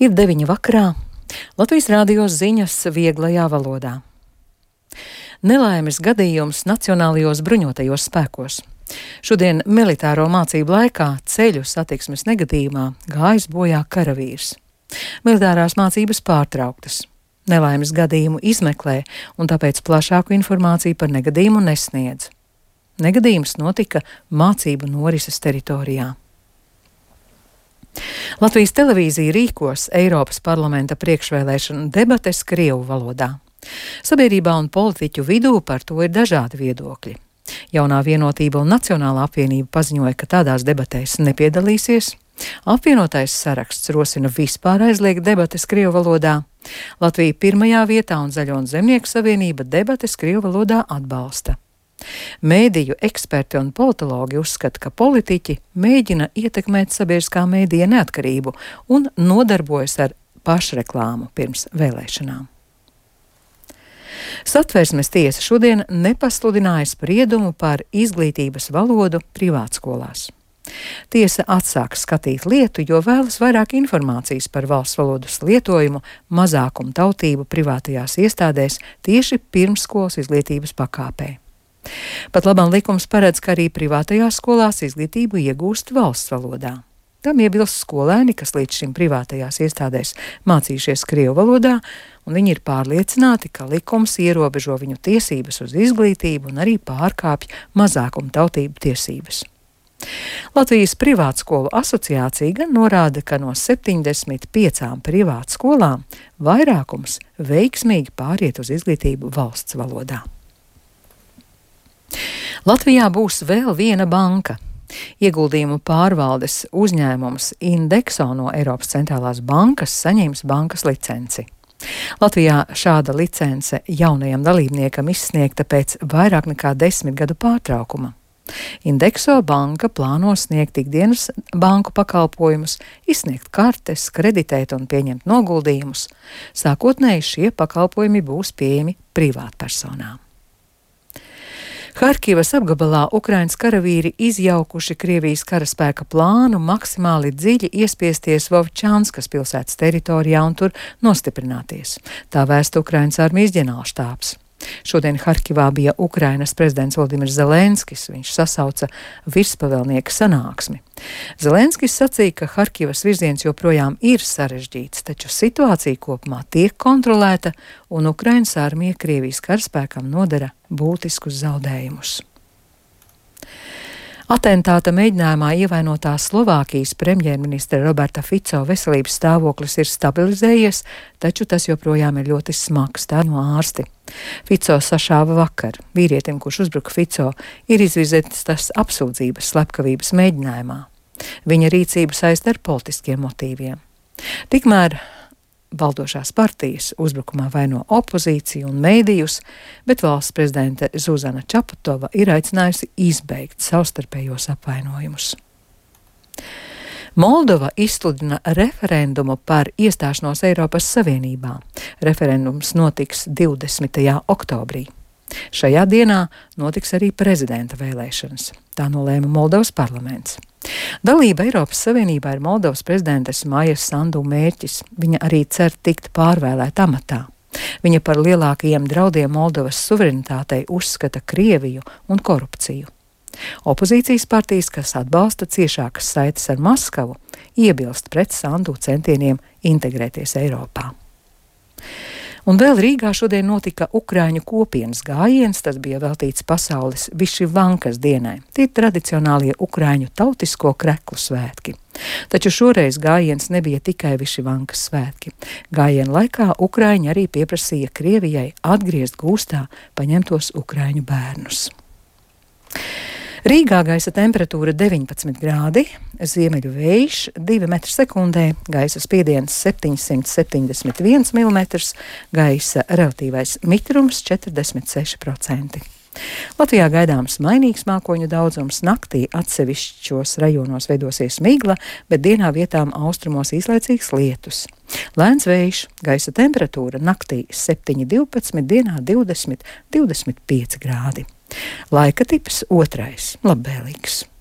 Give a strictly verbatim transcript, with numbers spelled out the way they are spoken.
Ir deviņi vakarā. Latvijas Rādio ziņas vieglajā valodā. Nelaimes gadījums Nacionālajos bruņotajos spēkos. Šodien militāro mācību laikā ceļu satiksmes negadījumā gājis bojā karavīrs. Militārās mācības pārtrauktas. Nelaimes gadījumu izmeklē, un tāpēc plašāku informāciju par negadījumu nesniedz. Negadījums notika mācību norises teritorijā. Latvijas televīzija rīkos Eiropas parlamenta priekšvēlēšanu debates krievu valodā. Sabiedrībā un politiķu vidū par to ir dažādi viedokļi. Jaunā vienotība un Nacionālā apvienība paziņoja, ka tādās debatēs nepiedalīsies. Apvienotais saraksts rosina vispār aizliegt debates krievu valodā. Latvija pirmajā vietā un Zaļo un Zemnieku savienība debates krievu valodā atbalsta. Mēdīju eksperti un politologi uzskata, ka politiķi mēģina ietekmēt sabiedriskā mēdīja neatkarību un nodarbojas ar pašreklāmu pirms vēlēšanām. Satversmes tiesa šodien nepasludināja spriedumu par izglītības valodu privātskolās. Tiesa atsāka skatīt lietu, jo vēlas vairāk informācijas par valsts valodas lietojumu mazākumu tautību privātajās iestādēs tieši pirmsskolas izglītības pakāpē. Pat labam likums paredz, ka arī privātajās skolās izglītību iegūst valsts valodā. Tam iebilst skolēni, kas līdz šim privātajās iestādēs mācījušies krievu valodā, un viņi ir pārliecināti, ka likums ierobežo viņu tiesības uz izglītību un arī pārkāpj mazākumu tautību tiesības. Latvijas privātskolu asociācija gan norāda, ka no septiņdesmit piecām privātskolām vairākums veiksmīgi pāriet uz izglītību valsts valodā. Latvijā būs vēl viena banka. Ieguldījumu pārvaldes uzņēmums Indexo no Eiropas centrālās bankas saņems bankas licenci. Latvijā šāda licence jaunajam dalībniekam izsniegta pēc vairāk nekā desmit gadu pārtraukuma. Indexo banka plāno sniegt ikdienas banku pakalpojumus, izsniegt kartes, kreditēt un pieņemt noguldījumus. Sākotnēji šie pakalpojumi būs pieejami privātpersonām. Harkivas apgabalā Ukrainas karavīri izjaukuši Krievijas karaspēka plānu maksimāli dziļi iespiesties Vovčanskas pilsētas teritorijā un tur nostiprināties. Tā vēsta Ukrainas armijas ģenerālštābs. Šodien Harkivā bija Ukrainas prezidents Volodimirs Zelenskis, viņš sasauca virspavēlnieka sanāksmi. Zelenskis sacīja, ka Harkivas virziens joprojām ir sarežģīts, taču situācija kopumā tiek kontrolēta un Ukrainas armija Krievijas karaspēkam nodara būtiskus zaudējumus. Atentāta mēģinājumā ievainotā Slovākijas premjerministra Roberta Fico veselības stāvoklis ir stabilizējies, taču tas joprojām ir ļoti smags, tā no ārsti. Fico sašāva vakar. Vīrietim, kurš uzbruka Fico, ir izvirzītas apsūdzības slepkavības mēģinājumā. Viņa rīcību saista ar politiskiem motīviem. Tikmēr valdošās partijas uzbrukumā vaino opozīciju un mēdījus, bet valsts prezidente Zuzana Čaputova ir aicinājusi izbeigt savstarpējos apvainojumus. Moldova izsludina referendumu par iestāšanos Eiropas Savienībā. Referendums notiks divdesmitajā oktobrī. Šajā dienā notiks arī prezidenta vēlēšanas. Tā nolēma Moldovas parlaments. Dalība Eiropas Savienībā ir Moldovas prezidentes Maijas Sandu mērķis. Viņa arī cer tikt pārvēlēta amatā. Viņa par lielākajiem draudiem Moldovas suverenitātei uzskata Krieviju un korupciju. Opozīcijas partijas, kas atbalsta ciešākas saites ar Maskavu, iebilst pret Sandu centieniem integrēties Eiropā. Un vēl Rīgā šodien notika Ukraiņu kopienas gājiens, tas bija veltīts pasaules Višivankas dienai. Tie ir tradicionālie Ukraiņu tautisko kreklu svētki. Taču šoreiz gājiens nebija tikai Višivankas svētki. Gājiena laikā Ukraiņi arī pieprasīja Krievijai atgriezt gūstā paņemtos Ukraiņu bērnus. Rīgā gaisa temperatūra deviņpadsmit grādi, ziemeļu vējš divi metri sekundē, gaisa spiediens septiņsimt septiņdesmit viens milimetrs, gaisa relatīvais mitrums četrdesmit seši procenti. Latvijā gaidāms mainīgs mākoņu daudzums, naktī atsevišķos rajonos veidosies migla, bet dienā vietām austrumos īslaicīgs lietus. Lēns vējš, gaisa temperatūra naktī septiņi divpadsmit, dienā divdesmit divdesmit pieci grādi. Laika tips otrais, labvēlīgs.